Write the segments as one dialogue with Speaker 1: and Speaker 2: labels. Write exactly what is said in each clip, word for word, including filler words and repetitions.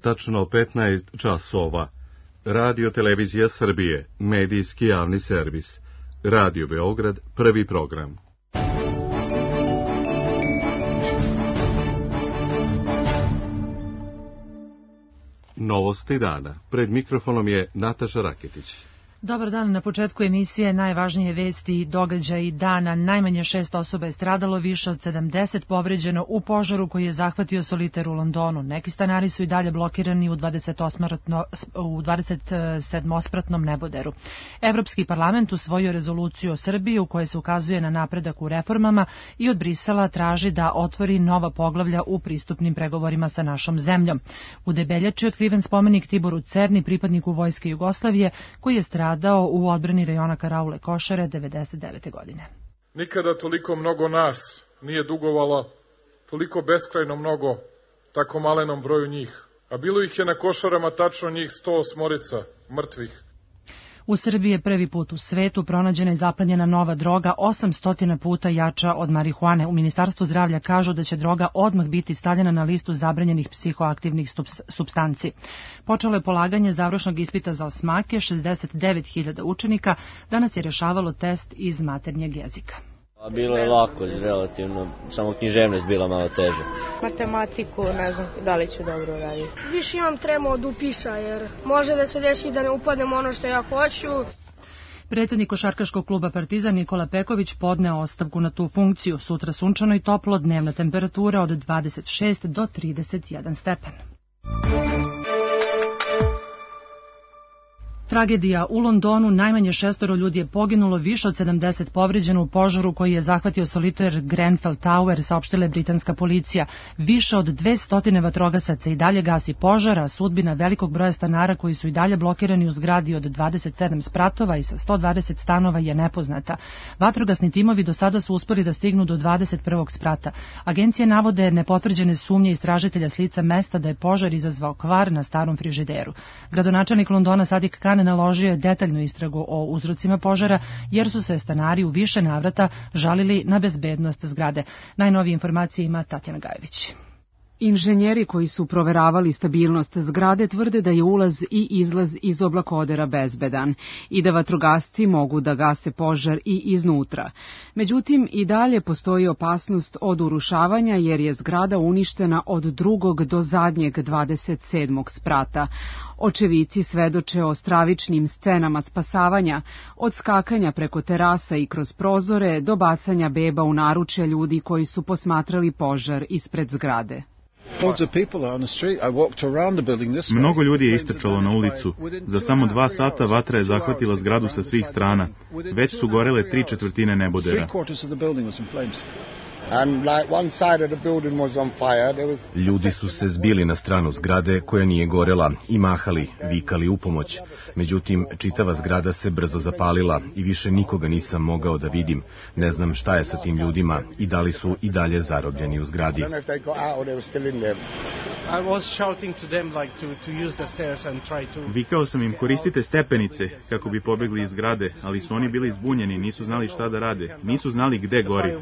Speaker 1: tačno petnaest časova. Radio Televizija Srbije, medijski javni servis. Radio Beograd, prvi program. Novosti dana. Pred mikrofonom je Nataša Raketić.
Speaker 2: Dobar dan, na početku emisije najvažnije vesti i događaji dana. Najmanje šest osoba je stradalo, više od sedamdeset povređeno u požaru koji je zahvatio Soliter u Londonu. Neki stanari su i dalje blokirani u dvadeset sedmospratnom neboderu. Evropski parlament usvojio rezoluciju o Srbiji u kojoj se ukazuje na napredak u reformama i od Brisela traži da otvori nova poglavlja u pristupnim pregovorima sa našom zemljom. U Debeljači otkriven spomenik Tiboru Cerni, pripadniku Vojske Jugoslavije, koji je stradao dao u odbrani rajona Karaule Košare devedeset devete godine.
Speaker 3: Nikada toliko mnogo nas nije dugovala, toliko beskrajno mnogo, tako malenom broju njih. A bilo ih je na Košarama tačno njih sto osmorica mrtvih.
Speaker 2: U Srbiji je prvi put u svetu pronađena i zaplenjena nova droga osamsto puta jača od marihuane. U Ministarstvu zdravlja kažu da će droga odmah biti stavljena na listu zabranjenih psihoaktivnih supstanci. Počelo je polaganje završnog ispita za osmake, šezdeset devet hiljada učenika danas je rešavalo test iz maternjeg jezika.
Speaker 4: Bilo je lako, relativno, samo književnost bila malo teže.
Speaker 5: Matematiku, ne znam da li ću dobro raditi.
Speaker 6: Više imam tremu od upisa, jer može da se desi da ne upadnem ono što ja hoću.
Speaker 2: Predsjednik košarkaškog kluba Partizan Nikola Peković podneo ostavku na tu funkciju. Sutra sunčano i toplo, dnevna temperatura od dvadeset šest do trideset jedan stepen. Tragedija u Londonu, najmanje šestoro ljudi je poginulo, više od sedamdeset povređeno u požaru koji je zahvatio Solitaire Grenfell Tower, saopštila je britanska policija. Više od dvesta vatrogasaca i dalje gasi požar, a sudbina velikog broja stanara koji su i dalje blokirani u zgradi od dvadeset sedam spratova i sa sto dvadeset stanova je nepoznata. Vatrogasni timovi do sada su uspeli da stignu do dvadeset prvog sprata. Agencije navode nepotvrđene sumnje istražitelja s lica mesta da je požar izazvao kvar na starom frižideru. Gradonačelnik Londona Sadiq Khan naložio je detaljnu istragu o uzrocima požara, jer su se stanari u više navrata žalili na bezbednost zgrade. Najnovije informacije ima Tatjana Gajević.
Speaker 7: Inženjeri koji su proveravali stabilnost zgrade tvrde da je ulaz i izlaz iz oblakodera bezbedan i da vatrogasci mogu da gase požar i iznutra. Međutim, i dalje postoji opasnost od urušavanja jer je zgrada uništena od drugog do zadnjeg dvadeset sedmog sprata. Očevici svedoče o stravičnim scenama spasavanja, od skakanja preko terasa i kroz prozore do bacanja beba u naručje ljudi koji su posmatrali požar ispred zgrade.
Speaker 8: Mnogo ljudi je istrčalo na ulicu. Za samo dva sata vatra je zahvatila zgradu sa svih strana. Već su gorele tri četvrtine nebodera.
Speaker 9: Ljudi su se zbili na stranu zgrade koja nije gorela i mahali, vikali u pomoć. Međutim, čitava zgrada se brzo zapalila i više nikoga nisam mogao da vidim. Ne znam šta je sa tim ljudima i da li su i dalje zarobljeni u zgradi.
Speaker 8: Vikao sam im koristite stepenice kako bi pobegli iz zgrade, ali su oni bili zbunjeni, nisu znali šta da rade, nisu znali gde gori.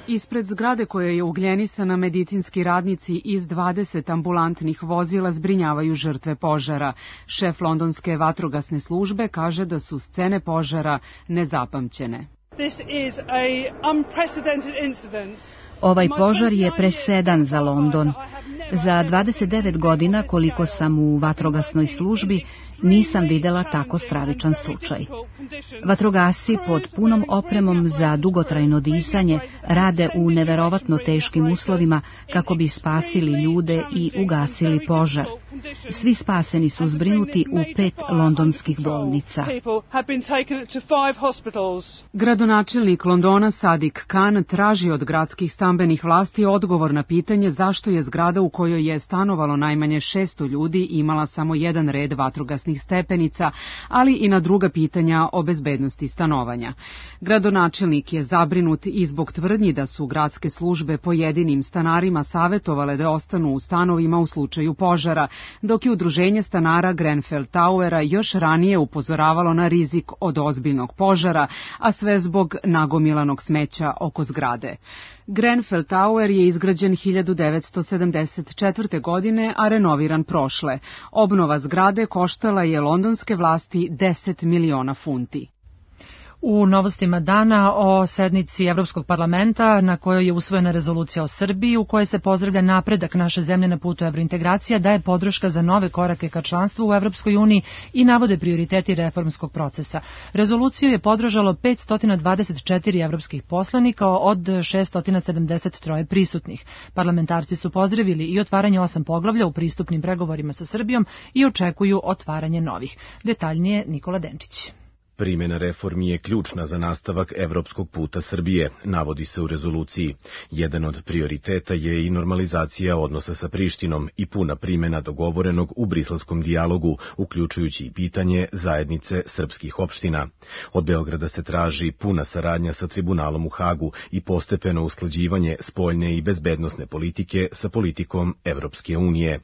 Speaker 7: Ispred zgrade koja je ugljenisana, medicinski radnici iz dvadeset ambulantnih vozila zbrinjavaju žrtve požara. Šef londonske vatrogasne službe kaže da su scene požara nezapamćene.
Speaker 10: Ovaj požar je presedan za London. Za dvadeset devet godina koliko sam u vatrogasnoj službi nisam videla tako stravičan slučaj. Vatrogasci pod punom opremom za dugotrajno disanje rade u neverovatno teškim uslovima kako bi spasili ljude i ugasili požar. Svi spaseni su zbrinuti u pet londonskih bolnica.
Speaker 7: Gradonačelnik Londona Sadiq Khan traži od gradskih stambenih vlasti odgovor na pitanje zašto je zgrada u kojoj je stanovalo najmanje šesto ljudi imala samo jedan red vatrogasnih stepenica, ali i na druga pitanja o bezbednosti stanovanja. Gradonačelnik je zabrinut i zbog tvrdnje tvrdnji da su gradske službe pojedinim stanarima savetovale da ostanu u stanovima u slučaju požara, dok je udruženje stanara Grenfell Towera još ranije upozoravalo na rizik od ozbiljnog požara, a sve zbog nagomilanog smeća oko zgrade. Grenfell Tower je izgrađen hiljadu devetsto sedamdeset četvrte. godine, a renoviran prošle. Obnova zgrade koštala je londonske vlasti deset miliona funti.
Speaker 2: U novostima dana o sednici Evropskog parlamenta na kojoj je usvojena rezolucija o Srbiji u kojoj se pozdravlja napredak naše zemlje na putu evrointegracija, daje podrška za nove korake ka članstvu u Evropskoj uniji i navode prioriteti reformskog procesa. Rezoluciju je podržalo petsto dvadeset četiri evropskih poslanika od šesto sedamdeset tri prisutnih. Parlamentarci su pozdravili i otvaranje osam poglavlja u pristupnim pregovorima sa Srbijom i očekuju otvaranje novih. Detaljnije Nikola Denčić.
Speaker 9: Primjena reformi je ključna za nastavak evropskog puta Srbije, navodi se u rezoluciji. Jedan od prioriteta je i normalizacija odnosa sa Prištinom i puna primjena dogovorenog u briselskom dijalogu, uključujući i pitanje zajednice srpskih opština. Od Beograda se traži puna saradnja sa tribunalom u Hagu i postepeno usklađivanje spoljne i bezbednosne politike sa politikom Evropske unije.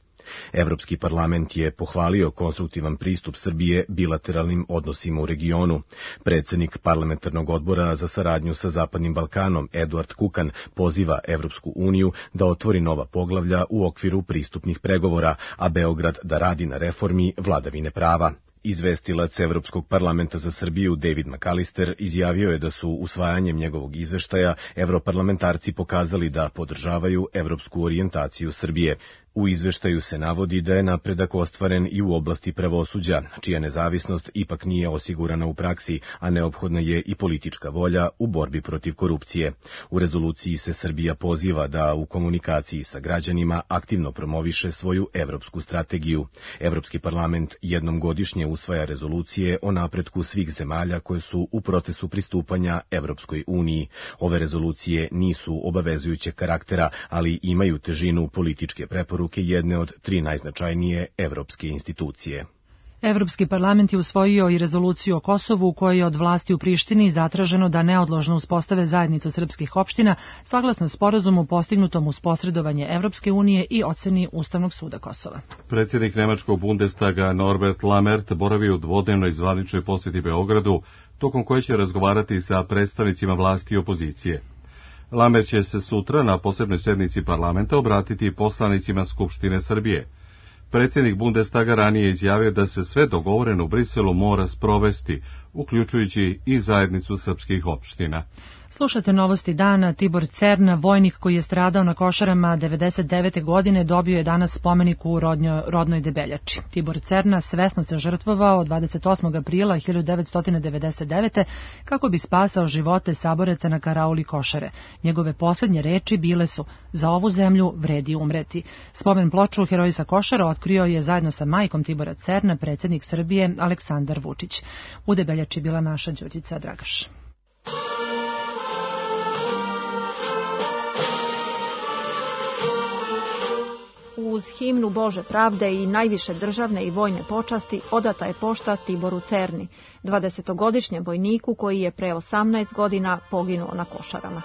Speaker 9: Evropski parlament je pohvalio konstruktivan pristup Srbije bilateralnim odnosima u regionu. Predsednik parlamentarnog odbora za saradnju sa Zapadnim Balkanom, Eduard Kukan, poziva Evropsku uniju da otvori nova poglavlja u okviru pristupnih pregovora, a Beograd da radi na reformi vladavine prava. Izvestilac Evropskog parlamenta za Srbiju David McAllister izjavio je da su usvajanjem njegovog izveštaja evroparlamentarci pokazali da podržavaju evropsku orijentaciju Srbije. U izveštaju se navodi da je napredak ostvaren i u oblasti pravosuđa, čija nezavisnost ipak nije osigurana u praksi, a neophodna je i politička volja u borbi protiv korupcije. U rezoluciji se Srbija poziva da u komunikaciji sa građanima aktivno promoviše svoju evropsku strategiju. Evropski parlament jednom godišnje usvaja rezolucije o napretku svih zemalja koje su u procesu pristupanja Evropskoj uniji. Ove rezolucije nisu obavezujućeg karaktera, ali imaju težinu političke preporuke jedne od tri najznačajnije evropske institucije.
Speaker 2: Evropski parlament je usvojio i rezoluciju o Kosovu u kojoj je od vlasti u Prištini zatraženo da neodložno uspostave zajednicu srpskih opština saglasno sporazumu postignutom uz posredovanje Evropske unije i oceni Ustavnog suda Kosova.
Speaker 1: Predsjednik Nemačkog Bundestaga Norbert Lammert boravi u dvodnevnoj zvaničnoj posjeti Beogradu, tokom koje će razgovarati sa predstavnicima vlasti i opozicije. Lammert će se sutra na posebnoj sednici parlamenta obratiti poslanicima Skupštine Srbije. Predsjednik Bundestaga ranije izjavio da se sve dogovoreno u Briselu mora sprovesti, uključujući i zajednicu srpskih opština.
Speaker 2: Slušate novosti dana. Tibor Cerna, vojnik koji je stradao na Košarama devedeset devete. godine, dobio je danas spomenik u rodnjo, rodnoj Debeljači. Tibor Cerna svesno se žrtvovao dvadeset osmog aprila hiljadu devetsto devedeset devete. kako bi spasao živote saboraca na karauli Košare. Njegove posljednje reči bile su: za ovu zemlju vredi umreti. Spomen ploču Heroji sa Košara otkrio je zajedno sa majkom Tibora Cerna predsjednik Srbije Aleksandar Vučić. U Debeljači bila naša Đurđica Dragaš.
Speaker 11: Uz himnu Bože pravde i najviše državne i vojne počasti odata je pošta Tiboru Cerni, dvadesetogodišnjem vojniku koji je pre osamnaest godina poginuo na Košarama.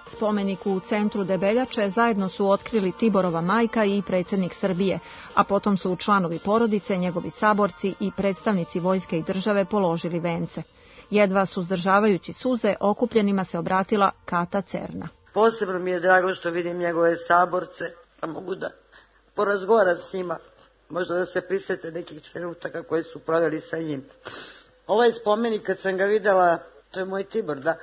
Speaker 11: Spomenik u centru Debeljače zajedno su otkrili Tiborova majka i predsjednik Srbije, a potom su članovi porodice, njegovi saborci i predstavnici vojske i države položili vence. Jedva suzdržavajući suze, okupljenima se obratila Kata Cerna.
Speaker 12: Posebno mi je drago što vidim njegove saborce, a mogu da porazgovaram s njima, možda da se prisete nekih trenutaka koje su proveli sa njim. Ovaj spomenik, kad sam ga videla, to je moj Tibor, da,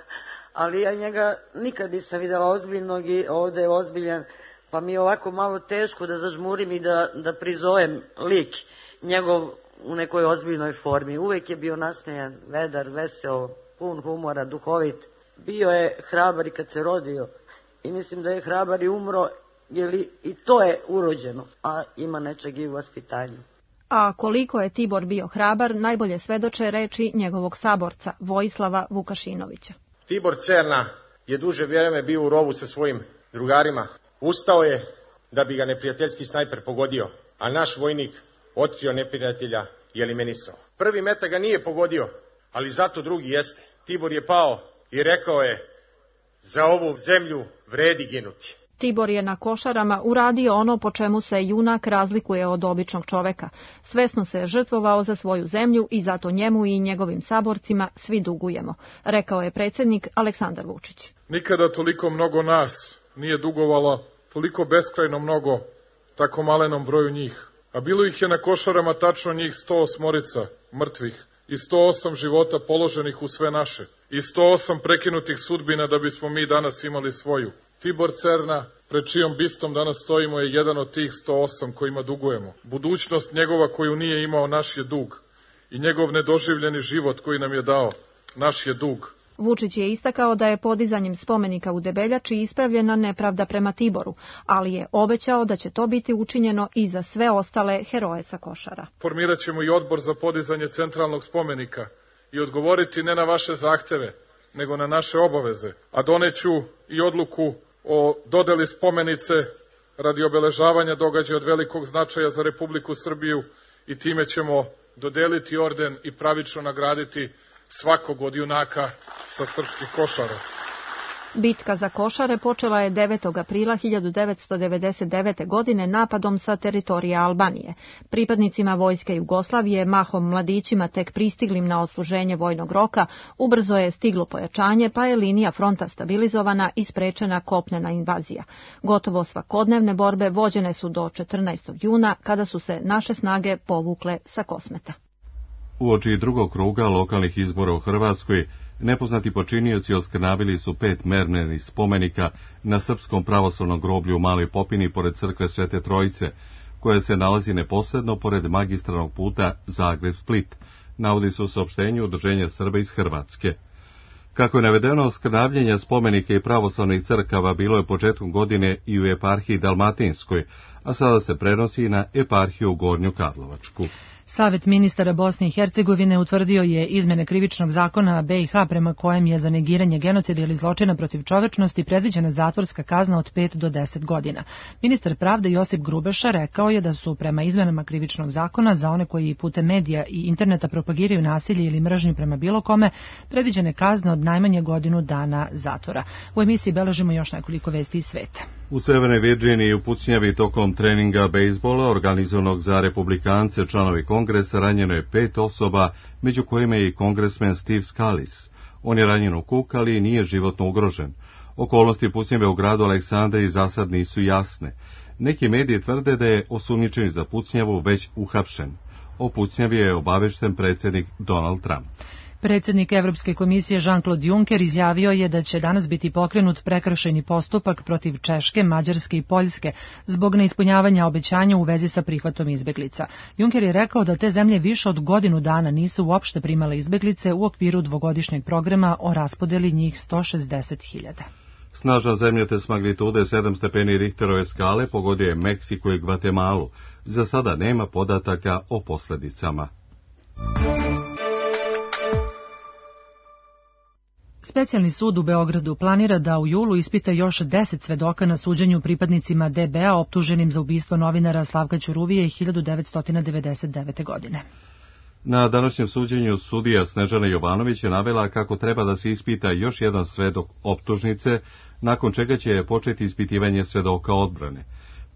Speaker 12: ali ja njega nikad nisam videla ozbiljnog i ovdje je ozbiljan, pa mi je ovako malo teško da zažmurim i da, da prizovem lik njegov u nekoj ozbiljnoj formi. Uvek je bio nasmejan, vedar, veseo, pun humora, duhovit. Bio je hrabar i kad se rodio i mislim da je hrabar i umro, jer i to je urođeno, a ima nečeg i u vaspitanju.
Speaker 11: A koliko je Tibor bio hrabar, najbolje svedoče reči njegovog saborca, Vojislava Vukašinovića.
Speaker 13: Tibor Cerna je duže vrijeme bio u rovu sa svojim drugarima. Ustao je da bi ga neprijateljski snajper pogodio, a naš vojnik otkrio neprijatelja i eliminisao. Prvi metak ga nije pogodio, ali zato drugi jeste. Tibor je pao i rekao je: za ovu zemlju vredi ginuti.
Speaker 11: Tibor je na Košarama uradio ono po čemu se junak razlikuje od običnog čoveka. Svesno se žrtvovao za svoju zemlju i zato njemu i njegovim saborcima svi dugujemo, rekao je predsjednik Aleksandar Vučić.
Speaker 3: Nikada toliko mnogo nas nije dugovala, toliko beskrajno mnogo tako malenom broju njih. A bilo ih je na Košarama tačno njih sto osmorica mrtvih i sto osam života položenih u sve naše i sto osam prekinutih sudbina da bismo mi danas imali svoju. Tibor Cerna, pred čijom bistom danas stojimo, je jedan od tih sto osam kojima dugujemo. Budućnost njegova koju nije imao naš je dug i njegov nedoživljeni život koji nam je dao naš je dug.
Speaker 11: Vučić je istakao da je podizanjem spomenika u Debeljači ispravljena nepravda prema Tiboru, ali je obećao da će to biti učinjeno i za sve ostale heroje sa Košara.
Speaker 3: Formirat ćemo i odbor za podizanje centralnog spomenika i odgovoriti ne na vaše zahteve, nego na naše obaveze, a doneću i odluku o dodeli spomenice radi obeležavanja događaja od velikog značaja za Republiku Srbiju i time ćemo dodeliti orden i pravično nagraditi svakog od junaka sa srpskih Košara.
Speaker 11: Bitka za Košare počela je devetog aprila hiljadu devetsto devedeset devete. godine napadom sa teritorija Albanije. Pripadnicima vojske Jugoslavije, mahom mladićima tek pristiglim na odsluženje vojnog roka, ubrzo je stiglo pojačanje, pa je linija fronta stabilizovana i sprečena kopnena invazija. Gotovo svakodnevne borbe vođene su do četrnaestog juna, kada su se naše snage povukle sa Kosmeta.
Speaker 1: Uoči drugog kruga lokalnih izbora u Hrvatskoj, nepoznati počinioci oskrnavili su pet mermernih spomenika na srpskom pravoslavnom groblju u Maloj Popini pored crkve Svete Trojice, koja se nalazi neposredno pored magistralnog puta Zagreb-Split, navodi se u saopštenju Udruženja Srba iz Hrvatske. Kako je navedeno, oskrnavljenja spomenika i pravoslavnih crkava bilo je početkom godine i u eparhiji Dalmatinskoj, a sada se prenosi na eparhiju Gornju Karlovačku.
Speaker 2: Savet ministara Bosne i Hercegovine utvrdio je izmene krivičnog zakona B i H prema kojem je za negiranje genocida ili zločina protiv čovečnosti predviđena zatvorska kazna od pet do deset godina. Ministar pravde Josip Grubeša rekao je da su prema izmenama krivičnog zakona za one koji putem medija i interneta propagiraju nasilje ili mržnju prema bilo kome predviđene kazne od najmanje godinu dana zatvora. U emisiji beležimo još nekoliko vesti iz sveta.
Speaker 1: U Severnoj Virdžiniji u pucnjavi tokom treninga bejsbola organizovanog za republikance članovi kongresa ranjeno je pet osoba, među kojima je i kongresmen Steve Scalise. On je ranjen u kuk, ali nije životno ugrožen. Okolnosti pucnjave u gradu Aleksandriji za sad nisu jasne. Neki mediji tvrde da je osumnjičeni za pucnjavu već uhapšen. O pucnjavi je obavešten predsjednik Donald Trump.
Speaker 2: Predsjednik Evropske komisije Jean-Claude Juncker izjavio je da će danas biti pokrenut prekršajni postupak protiv Češke, Mađarske i Poljske zbog neispunjavanja obećanja u vezi sa prihvatom izbeglica. Juncker je rekao da te zemlje više od godinu dana nisu uopšte primale izbeglice u okviru dvogodišnjeg programa o raspodeli njih sto šezdeset hiljada.
Speaker 1: Snažan zemljotres magnitude sedam stepeni Richterove skale pogodio je Meksiko i Gvatemalu. Za sada nema podataka o posljedicama.
Speaker 2: Specijalni sud u Beogradu planira da u julu ispita još deset svedoka na suđenju pripadnicima D B A optuženim za ubistvo novinara Slavka Ćuruvije hiljadu devetsto devedeset devete. godine.
Speaker 1: Na današnjem suđenju sudija Snežana Jovanović je navela kako treba da se ispita još jedan svedok optužnice, nakon čega će početi ispitivanje svedoka odbrane.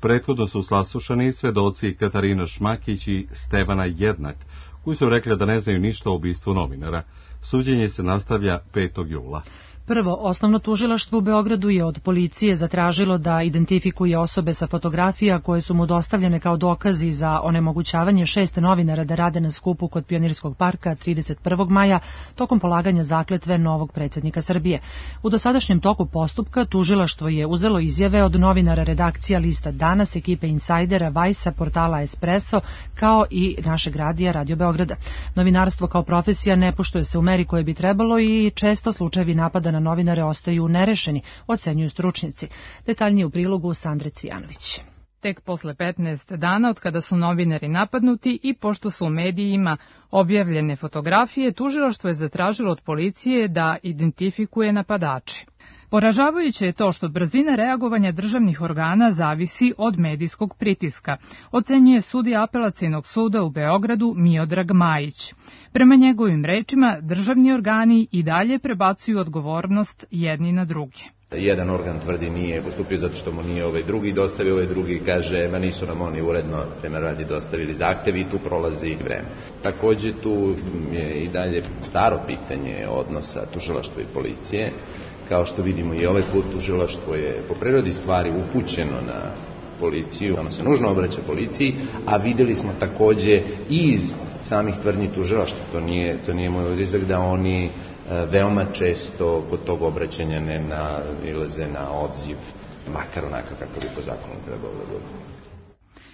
Speaker 1: Prethodno su saslušani svedoci Katarina Šmakić i Stevana Jednak, koji su rekli da ne znaju ništa o ubistvu novinara. Suđenje se nastavlja petog jula.
Speaker 2: Prvo, osnovno tužilaštvo u Beogradu je od policije zatražilo da identifikuje osobe sa fotografija koje su mu dostavljene kao dokazi za onemogućavanje šest novinara da rade na skupu kod Pionirskog parka trideset prvog maja tokom polaganja zakletve novog predsjednika Srbije. U dosadašnjem toku postupka tužilaštvo je uzelo izjave od novinara redakcija lista Danas, ekipe Insajdera, Vajsa, portala Espresso, kao i našeg radija Radio Beograda. Novinarstvo kao profesija ne poštuje se u meri koje bi trebalo i često slučajevi napada na novinare ostaju nerešeni, ocenjuju stručnjaci. Detaljnije u prilogu Sandre Cvijanović.
Speaker 14: Tek posle petnaest dana od kada su novinari napadnuti i pošto su u medijima objavljene fotografije, tužilaštvo je zatražilo od policije da identifikuje napadače. Poražavajuće je to što brzina reagovanja državnih organa zavisi od medijskog pritiska, ocenjuje sudija Apelacionog suda u Beogradu Miodrag Majić. Prema njegovim rečima, državni organi i dalje prebacuju odgovornost jedni na druge.
Speaker 15: Jedan organ tvrdi nije postupio zato što mu nije ovaj drugi dostavio, ovaj drugi kaže ma nisu nam oni uredno prema radi dostavili zahtev i tu prolazi vreme. Takođe tu je i dalje staro pitanje odnosa tužilaštva i policije. Kao što vidimo i ovaj put tužilaštvo je po prirodi stvari upućeno na policiju, ono se nužno obraća policiji, a videli smo takođe iz samih tvrdnji tužilaštva, to nije, to nije moj utisak da oni veoma često kod tog obraćanja ne nailaze na odziv, makar onako kako bi po zakonu trebalo da bude.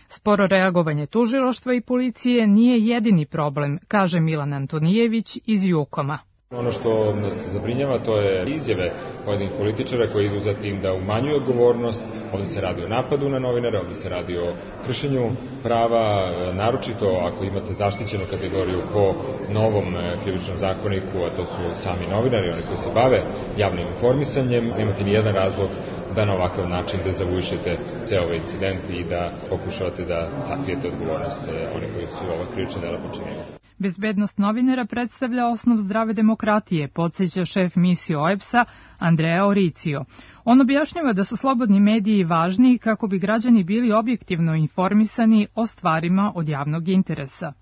Speaker 14: Sporo reagovanje tužilaštva i policije nije jedini problem, kaže Milan Antonijević iz Jukoma.
Speaker 16: Ono što nas zabrinjava to je izjave pojedinih političara koji idu za tim da umanjuju odgovornost. Ovdje se radi o napadu na novinare, ovdje se radi o kršenju prava, naročito ako imate zaštićenu kategoriju po novom krivičnom zakoniku, a to su sami novinari, oni koji se bave javnim informisanjem. Nemate ni jedan razlog da na ovakav način dezavuišete ceo ovaj incident i da pokušavate da sakrijete odgovornost onih koji su ova krivična dela počinili.
Speaker 14: Bezbednost novinara predstavlja osnov zdrave demokratije, podsjeća šef misije O E B S-a Andrea Oricio. On objašnjava da su slobodni mediji važni kako bi građani bili objektivno informisani o stvarima od javnog interesa.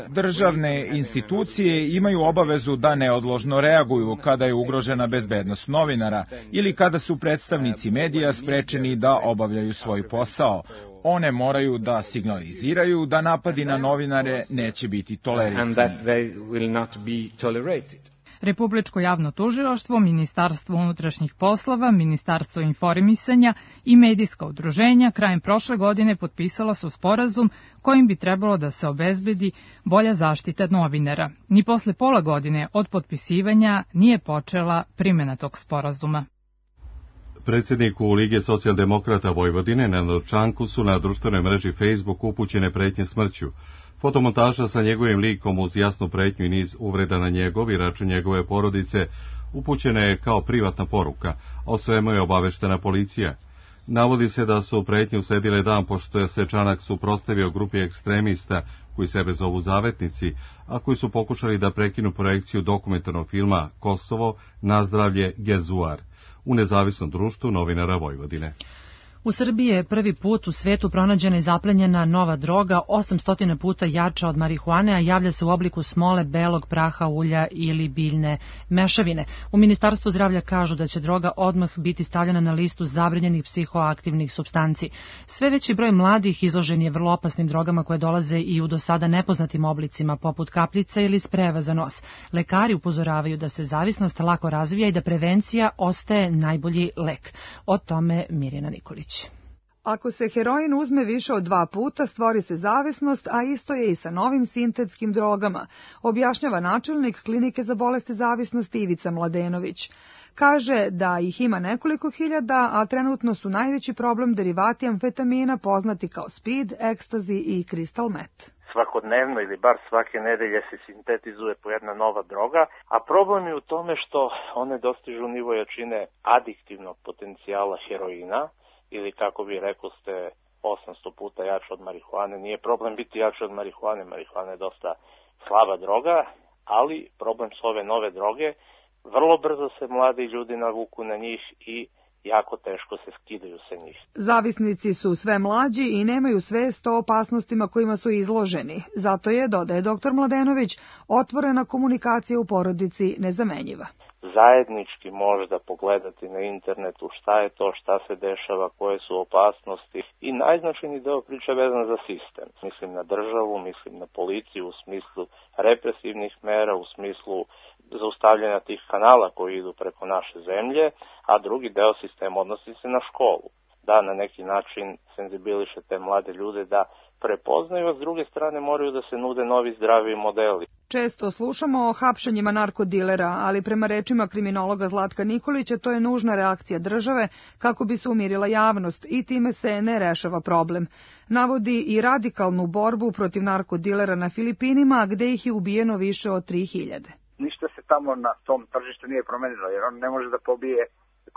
Speaker 17: Državne institucije imaju obavezu da neodložno reaguju kada je ugrožena bezbednost novinara ili kada su predstavnici medija sprečeni da obavljaju svoj posao. One moraju da signaliziraju da napadi na novinare neće biti tolerisani.
Speaker 14: Republičko javno tužilaštvo, Ministarstvo unutrašnjih poslova, Ministarstvo informisanja i medijska udruženja krajem prošle godine potpisala su sporazum kojim bi trebalo da se obezbedi bolja zaštita novinara. Ni posle pola godine od potpisivanja nije počela primjena tog sporazuma.
Speaker 1: Predsjedniku Lige socijaldemokrata Vojvodine Nenadu Čanku su na društvenoj mreži Facebook upućene pretnje smrću. Fotomontaža sa njegovim likom uz jasnu pretnju i niz uvreda na njegov i račun njegove porodice upućena je kao privatna poruka, a o svemu je obaveštena policija. Navodi se da su pretnje usledile dan pošto je se Čanak suprotstavio grupi ekstremista koji sebe zovu zavetnici, a koji su pokušali da prekinu projekciju dokumentarnog filma Kosovo, nazdravlje, Gezuar u nezavisnom društvu novinara Vojvodine.
Speaker 2: U Srbiji je prvi put u svetu pronađena i zaplenjena nova droga, osamsto puta jača od marihuane, a javlja se u obliku smole, belog praha, ulja ili biljne mešavine. U Ministarstvu zdravlja kažu da će droga odmah biti stavljena na listu zabranjenih psihoaktivnih supstanci. Sve veći broj mladih izložen je vrlo opasnim drogama koje dolaze i u do sada nepoznatim oblicima, poput kapljica ili spreva za nos. Lekari upozoravaju da se zavisnost lako razvija i da prevencija ostaje najbolji lek. O tome Mirjana Nikolić.
Speaker 18: Ako se heroin uzme više od dva puta, stvori se zavisnost, a isto je i sa novim sintetskim drogama, objašnjava načelnik Klinike za bolesti zavisnosti Ivica Mladenović. Kaže da ih ima nekoliko hiljada, a trenutno su najveći problem derivati amfetamina poznati kao speed, ekstazi i crystal meth.
Speaker 19: Svakodnevno ili bar svake nedelje se sintetizuje po jedna nova droga, a problem je u tome što one dostižu nivo jačine adiktivnog potencijala heroina, ili kako bi rekao ste osamsto puta jače od marihuane. Nije problem biti jače od marihuane, marihuana je dosta slaba droga, ali problem su ove nove droge, vrlo brzo se mladi ljudi navuku na njih i jako teško se skidaju sa njih.
Speaker 18: Zavisnici su sve mlađi i nemaju svest o opasnostima kojima su izloženi. Zato je, dodaje doktor Mladenović, otvorena komunikacija u porodici nezamenjiva.
Speaker 19: Zajednički možda pogledati na internetu šta je to, šta se dešava, koje su opasnosti i najznačajniji deo priče vezan za sistem. Mislim na državu, mislim na policiju u smislu represivnih mera, u smislu zaustavljanja tih kanala koji idu preko naše zemlje, a drugi deo sistema odnosi se na školu. Da na neki način senzibiliše te mlade ljude da prepoznaju, a s druge strane moraju da se nude novi zdravi modeli.
Speaker 18: Često slušamo o hapšenjima narkodilera, ali prema rečima kriminologa Zlatka Nikolića to je nužna reakcija države kako bi se umirila javnost i time se ne rešava problem. Navodi i radikalnu borbu protiv narkodilera na Filipinima, gde ih je ubijeno više od tri hiljade.
Speaker 20: ništa se tamo na tom tržištu nije promenilo, jer on ne može da pobije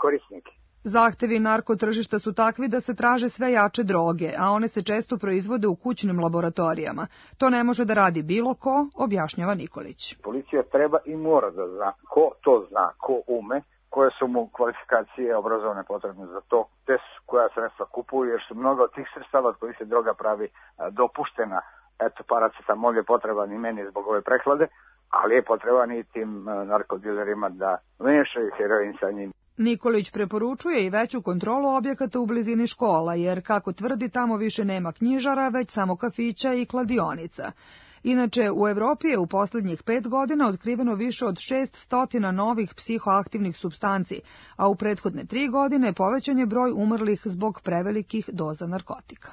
Speaker 20: korisnike.
Speaker 18: Zahtevi narkotržišta su takvi da se traže sve jače droge, a one se često proizvode u kućnim laboratorijama. To ne može da radi bilo ko, objašnjava Nikolić.
Speaker 20: Policija treba i mora da zna ko to zna, ko ume, koje su mu kvalifikacije obrazovane potrebne za to, te koja sredstva kupuju, jer su mnogo od tih sredstava od kojih se droga pravi dopuštena. Eto, paracetamol je potreban i meni zbog ove prehlade, ali je potreban i tim narkodilerima da mešaju heroin sa njim.
Speaker 18: Nikolić preporučuje i veću kontrolu objekata u blizini škola, jer, kako tvrdi, tamo više nema knjižara, već samo kafića i kladionica. Inače, u Evropi je u poslednjih pet godina otkriveno više od šest stotina novih psihoaktivnih supstanci, a u prethodne tri godine povećan je broj umrlih zbog prevelikih doza narkotika.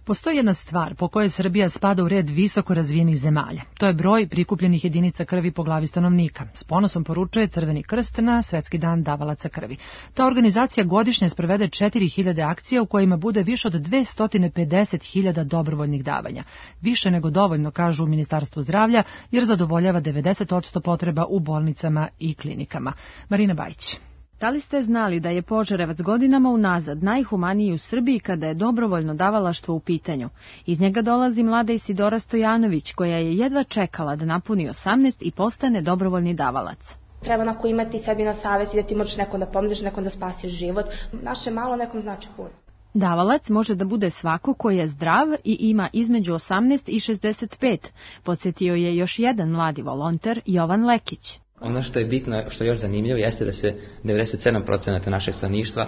Speaker 2: Postoji jedna stvar po kojoj Srbija spada u red visoko razvijenih zemalja. To je broj prikupljenih jedinica krvi po glavi stanovnika. S ponosom poručuje Crveni krst na Svetski dan davalaca krvi. Ta organizacija godišnje sprovede četiri hiljade akcija u kojima bude više od dvesta pedeset hiljada dobrovoljnih davanja. Više nego dovoljno, kažu u Ministarstvu zdravlja, jer zadovoljava devedeset posto potreba u bolnicama i klinikama. Marina Bajić.
Speaker 10: Da li ste znali da je Požarevac godinama unazad najhumaniji u Srbiji kada je dobrovoljno davalaštvo u pitanju? Iz njega dolazi mlada Isidora Stojanović, koja je jedva čekala da napuni osamnaest i postane dobrovoljni davalac.
Speaker 21: Treba onako imati sebi na savesti da ti možeš nekom da pomožeš, nekom da spasiš život. Naše malo nekom znači puno.
Speaker 10: Davalac može da bude svako koji je zdrav i ima između osamnaest i šezdeset pet, podsjetio je još jedan mladi volonter, Jovan Lekić.
Speaker 22: Ono što je bitno, što je još zanimljivo, jeste da se devedeset sedam posto našeg stanovništva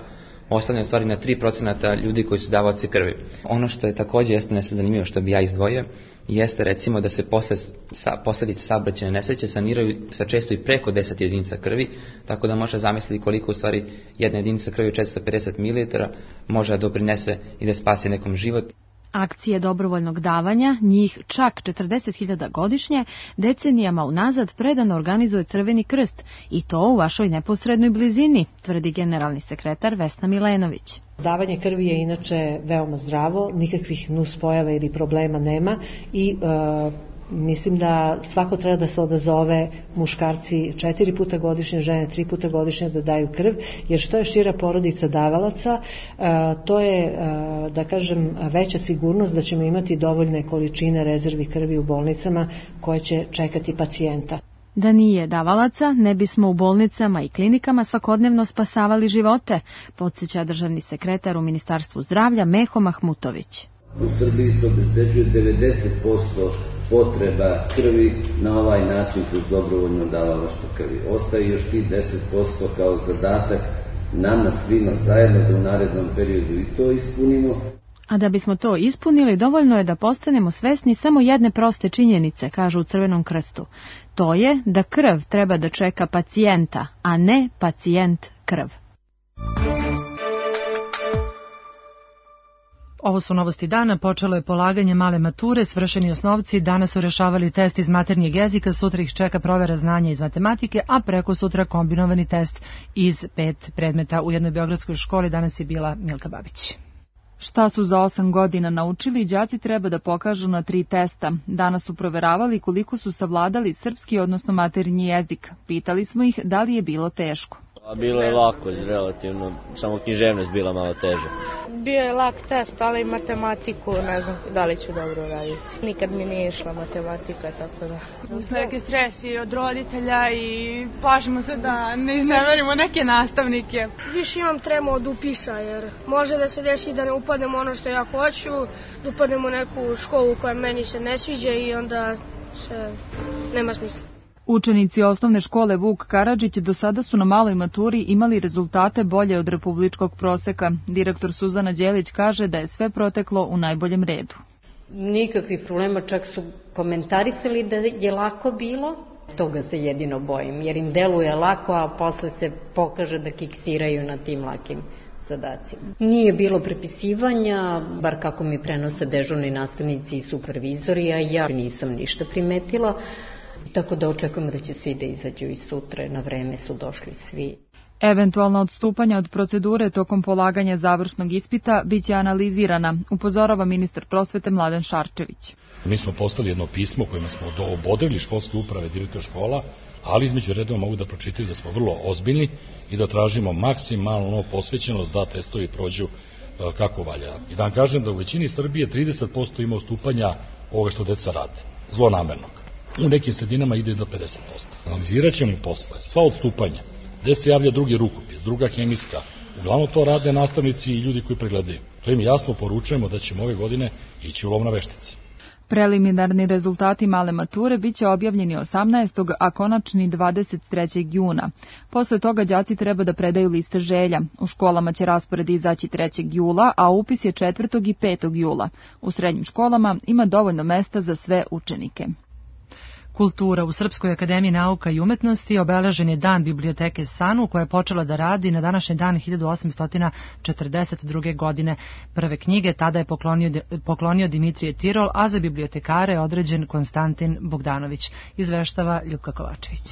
Speaker 22: oslanja u stvari na tri posto ljudi koji su davaoci krvi. Ono što je također jeste nešto zanimljivo, što bi ja izdvojio, jeste recimo da se posle, sa, posljedice saobraćajne nesreće saniraju sa često i preko deset jedinica krvi, tako da može zamisliti koliko u stvari jedna jedinica krvi od četiristo pedeset mililitara može da doprinese i da spasi nekom život.
Speaker 10: Akcije dobrovoljnog davanja, njih čak četrdeset hiljada godišnje, decenijama unazad predano organizuje Crveni krst i to u vašoj neposrednoj blizini, tvrdi generalni sekretar Vesna Milenović.
Speaker 23: Davanje krvi je inače veoma zdravo, nikakvih nuspojava ili problema nema i e, mislim da svako treba da se odazove, muškarci četiri puta godišnje, žene tri puta godišnje da daju krv, jer što je šira porodica davalaca, to je, da kažem, veća sigurnost da ćemo imati dovoljne količine rezervi krvi u bolnicama koje će čekati pacijenta.
Speaker 10: Da nije davalaca, ne bismo u bolnicama i klinikama svakodnevno spasavali živote, podsjeća državni sekretar u Ministarstvu zdravlja Meho Mahmutović.
Speaker 24: U Srbiji se obezbeđuje devedeset posto potreba krvi na ovaj način kroz dobrovoljno davalaštvo krvi. Ostaje još ti deset posto kao zadatak nama svima zajedno da u narednom periodu i to ispunimo.
Speaker 10: A da bismo to ispunili, dovoljno je da postanemo svesni samo jedne proste činjenice, kažu u Crvenom krstu. To je da krv treba da čeka pacijenta, a ne pacijent krv.
Speaker 2: Ovo su novosti dana, počelo je polaganje male mature, svršeni osnovci danas su rešavali test iz maternjeg jezika, sutra ih čeka provera znanja iz matematike, a preko sutra kombinovani test iz pet predmeta u jednoj beogradskoj školi. Danas je bila Milka Babić.
Speaker 7: Šta su za osam godina naučili, đaci treba da pokažu na tri testa. Danas su proveravali koliko su savladali srpski, odnosno maternji jezik. Pitali smo ih da li je bilo teško.
Speaker 4: Bilo je lako, relativno, samo književnost bila malo teža.
Speaker 5: Bio je lak test, ali matematiku ne znam da li ću dobro raditi. Nikad mi nije išla matematika, tako da.
Speaker 25: Veliki stres i od roditelja i plašimo se da ne izneverimo neke nastavnike.
Speaker 6: Više imam tremu od upisa, jer može da se desi da ne upadnem ono što ja hoću, da upadnem u neku školu koja meni se ne sviđa i onda se nema smisla.
Speaker 7: Učenici osnovne škole Vuk Karadžić do sada su na maloj maturi imali rezultate bolje od republičkog proseka. Direktor Suzana Đelić kaže da je sve proteklo u najboljem redu.
Speaker 26: Nikakvih problema, čak su komentarisali da je lako bilo. Toga se jedino bojim, jer im deluje lako, a posle se pokaže da kiksiraju na tim lakim zadacima. Nije bilo prepisivanja, bar kako mi prenose dežurni nastavnici i supervizori, a ja nisam ništa primetila. Tako da očekujemo da će svi da izađu i sutra, na vreme su došli svi.
Speaker 7: Eventualna odstupanja od procedure tokom polaganja završnog ispita biće analizirana, upozorava ministar prosvete Mladen Šarčević.
Speaker 27: Mi smo poslali jedno pismo kojima smo obodrili školske uprave, direktor škola,
Speaker 3: ali između redova mogu da pročitaju da smo vrlo ozbiljni i da tražimo maksimalno posvećenost da testovi prođu kako valja. I da vam kažem da u većini Srbije trideset posto ima ustupanja ovoga što deca rade, zlonamernog. U nekim sredinama ide do pedeset posto. Analizirat ćemo posle sva odstupanja, gde se javlja drugi rukopis, druga hemijska. Uglavnom to rade nastavnici i ljudi koji pregledaju. To im jasno poručujemo da ćemo ove godine ići u lov na veštice.
Speaker 8: Preliminarni rezultati male mature biće objavljeni osamnaestog a konačni dvadeset trećeg juna. Posle toga đaci treba da predaju liste želja. U školama će raspored izaći trećeg jula, a upis je četvrtog i petog jula. U srednjim školama ima dovoljno mesta za sve učenike.
Speaker 2: Kultura. U Srpskoj akademiji nauka i umetnosti obeležen je dan biblioteke Sanu, koja je počela da radi na današnji dan hiljadu osamsto četrdeset druge. godine. Prve knjige tada je poklonio, poklonio Dimitrije Tirol, a za bibliotekare je određen Konstantin Bogdanović. Izveštava Ljupka Kovačević.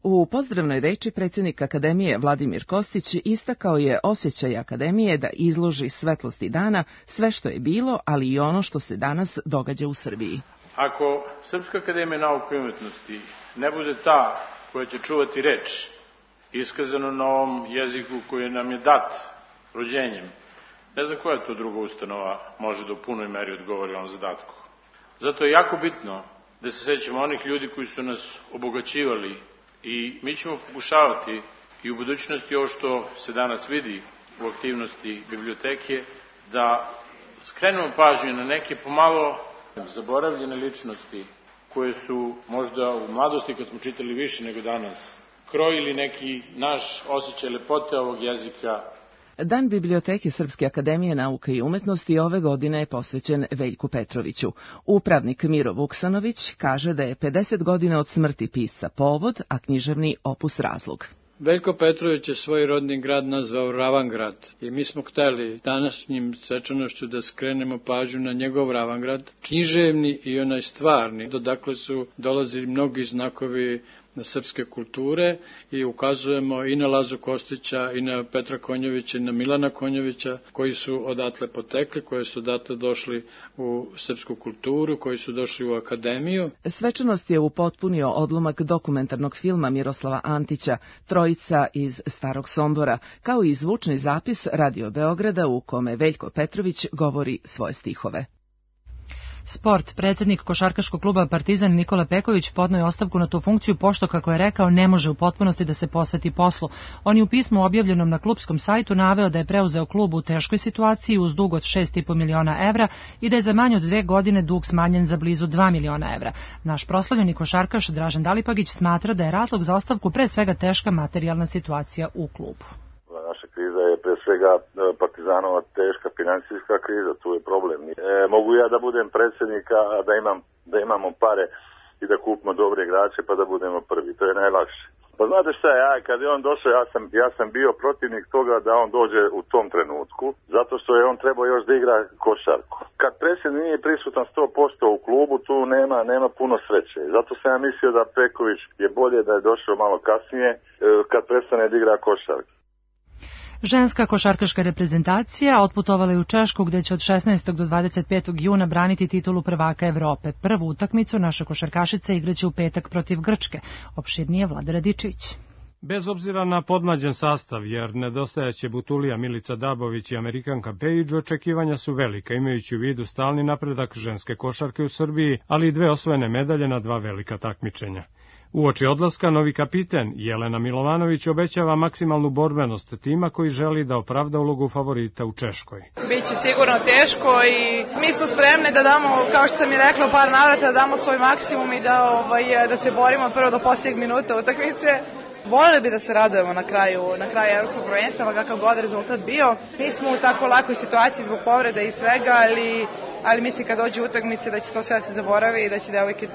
Speaker 9: U pozdravnoj reči predsjednik Akademije Vladimir Kostić istakao je osjećaj Akademije da izloži svetlosti dana sve što je bilo, ali i ono što se danas događa u Srbiji.
Speaker 11: Ako Srpska akademija nauke i umetnosti ne bude ta koja će čuvati reč, iskazano na ovom jeziku koji nam je dat rođenjem, ne znam koja to druga ustanova može da u punoj meri odgovori ovom zadatku. Zato je jako bitno da se sećamo onih ljudi koji su nas obogaćivali i mi ćemo pokušavati i u budućnosti ovo što se danas vidi u aktivnosti biblioteke, da skrenemo pažnju na neke pomalo zaboravljene ličnosti koje su možda u mladosti, kad smo čitali više nego danas, krojili neki naš osjećaj lepote ovog jezika.
Speaker 9: Dan biblioteke Srpske akademije nauke i umetnosti ove godine je posvećen Veljku Petroviću. Upravnik Miro Vuksanović kaže da je pedeset godina od smrti pisca povod, a književni opus razlog.
Speaker 12: Veljko Petrović je svoj rodni grad nazvao Ravangrad i mi smo hteli današnjim svečanošću da skrenemo pažnju na njegov Ravangrad, književni i onaj stvarni, dodakle su dolazili mnogi znakovi na srpske kulture i ukazujemo i na Lazu Kostića i na Petra Konjovića i na Milana Konjovića koji su odatle potekli, koji su odatle došli u srpsku kulturu, koji su došli u akademiju.
Speaker 9: Svečanost je upotpunio odlomak dokumentarnog filma Miroslava Antića Trojica iz Starog Sombora, kao i zvučni zapis Radio Beograda u kome Veljko Petrović govori svoje stihove.
Speaker 2: Sport. Predsjednik košarkaškog kluba Partizan Nikola Peković podneo je ostavku na tu funkciju pošto, kako je rekao, ne može u potpunosti da se posveti poslu. On je u pismu objavljenom na klubskom sajtu naveo da je preuzeo klub u teškoj situaciji uz dug od šest i po miliona evra i da je za manje od dve godine dug smanjen za blizu dva miliona evra. Naš proslavljeni košarkaš Dražen Dalipagić smatra da je razlog za ostavku pre svega teška materijalna situacija u klubu.
Speaker 13: Naša kriza je pre svega Partizanova teška financijska kriza, tu je problem. E, mogu ja da budem predsjednik, a da, imam, da imamo pare i da kupimo dobre igrače pa da budemo prvi, to je najlakše. Pa znate šta, ja, kad je on došao, ja sam, ja sam bio protivnik toga da on dođe u tom trenutku, zato što je on trebao još da igra košarku. Kad predsjednik nije prisutan sto posto u klubu, tu nema, nema puno sreće. Zato sam ja mislio da Peković je bolje da je došao malo kasnije, kad prestane da igra košarku.
Speaker 2: Ženska košarkaška reprezentacija otputovala je u Češku, gde će od šesnaestog do dvadeset petog juna braniti titulu prvaka Evrope. Prvu utakmicu naše košarkašice igraće u petak protiv Grčke. Opširnije Vlada Radičević.
Speaker 27: Bez obzira na podmlađen sastav, jer nedostajaće Butulija, Milica Dabović i Amerikanka Pejić, očekivanja su velika, imajući u vidu stalni napredak ženske košarke u Srbiji, ali i dve osvojene medalje na dva velika takmičenja. Uoči odlaska, novi kapiten Jelena Milovanović obećava maksimalnu borbenost tima koji želi da opravda ulogu favorita u Češkoj.
Speaker 28: Biće sigurno teško i mi smo spremni da damo, kao što sam i rekla u par navrata, da damo svoj maksimum i da, ovaj, da se borimo prvo do posljednjeg minuta utakmice. Voljeli bi da se radujemo na kraju, na kraju evropskog prvenstva, kakav god rezultat bio. Nismo u tako lakoj situaciji zbog povreda i svega, ali, ali mislim kad dođe utakmice da će to sve se zaboravi i da će devojke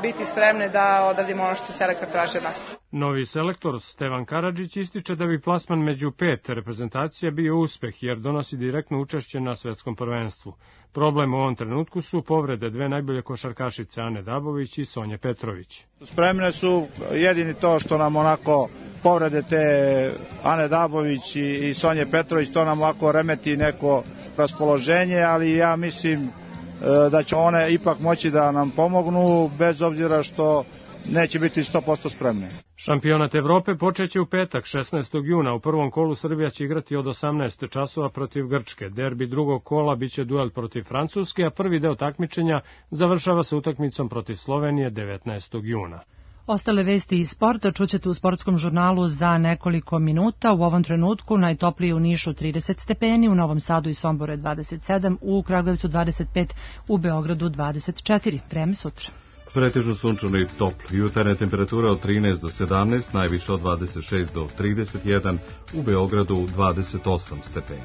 Speaker 28: biti spremne da odradimo ono što selektor traži od nas.
Speaker 27: Novi selektor Stevan Karadžić ističe da bi plasman među pet reprezentacija bio uspeh, jer donosi direktno učešće na svetskom prvenstvu. Problem u ovom trenutku su povrede dve najbolje košarkašice Ane Dabović i Sonje Petrović.
Speaker 29: Spremne su jedini to što nam onako povrede te Ane Dabović i Sonje Petrović, to nam ovako remeti neko raspoloženje, ali ja mislim da će one ipak moći da nam pomognu, bez obzira što neće biti sto posto spremni.
Speaker 27: Šampionat Evrope počeće u petak, šesnaestog juna. U prvom kolu Srbija će igrati od osamnaest časova protiv Grčke. Derbi drugog kola biće duel protiv Francuske, a prvi deo takmičenja završava se utakmicom protiv Slovenije devetnaestog juna.
Speaker 2: Ostale vesti iz sporta čućete u sportskom žurnalu za nekoliko minuta. U ovom trenutku najtoplije u Nišu trideset stepeni, u Novom Sadu i Somboru dvadeset sedam, u Kragujevcu dvadeset pet, u Beogradu dvadeset četiri. Vreme sutra.
Speaker 1: Pretežno sunčano i toplo. Jutarnje temperature od trinaest do sedamnaest, najviše od dvadeset šest do trideset jedan, u Beogradu dvadeset osam stepeni.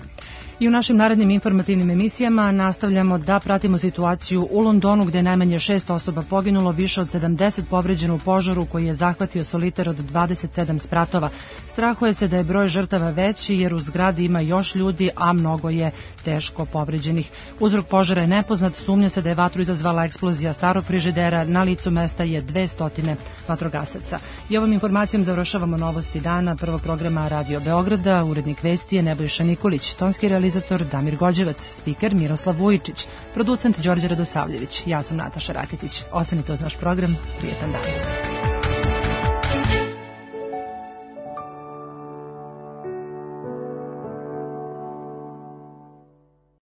Speaker 2: I u našim narednim informativnim emisijama nastavljamo da pratimo situaciju u Londonu, gde je najmanje šest osoba poginulo, više od sedamdeset povređeno u požaru koji je zahvatio solitar od dvadeset sedam spratova. Strahuje se da je broj žrtava veći jer u zgradi ima još ljudi, a mnogo je teško povređenih. Uzrok požara je nepoznat, sumnja se da je vatru izazvala eksplozija starog frižidera, na licu mesta je dvesta vatrogasaca. I ovom informacijom završavamo novosti dana prvog programa Radio Beograda. Urednik vesti je Nebojša Nikolić, tonski realizator Damir Gođevac, spiker Miroslav Vujičić, producent Đorđe Radosavljević. Ja sam Nataša Raketić. Ostanite uz naš program. Prijetan dan.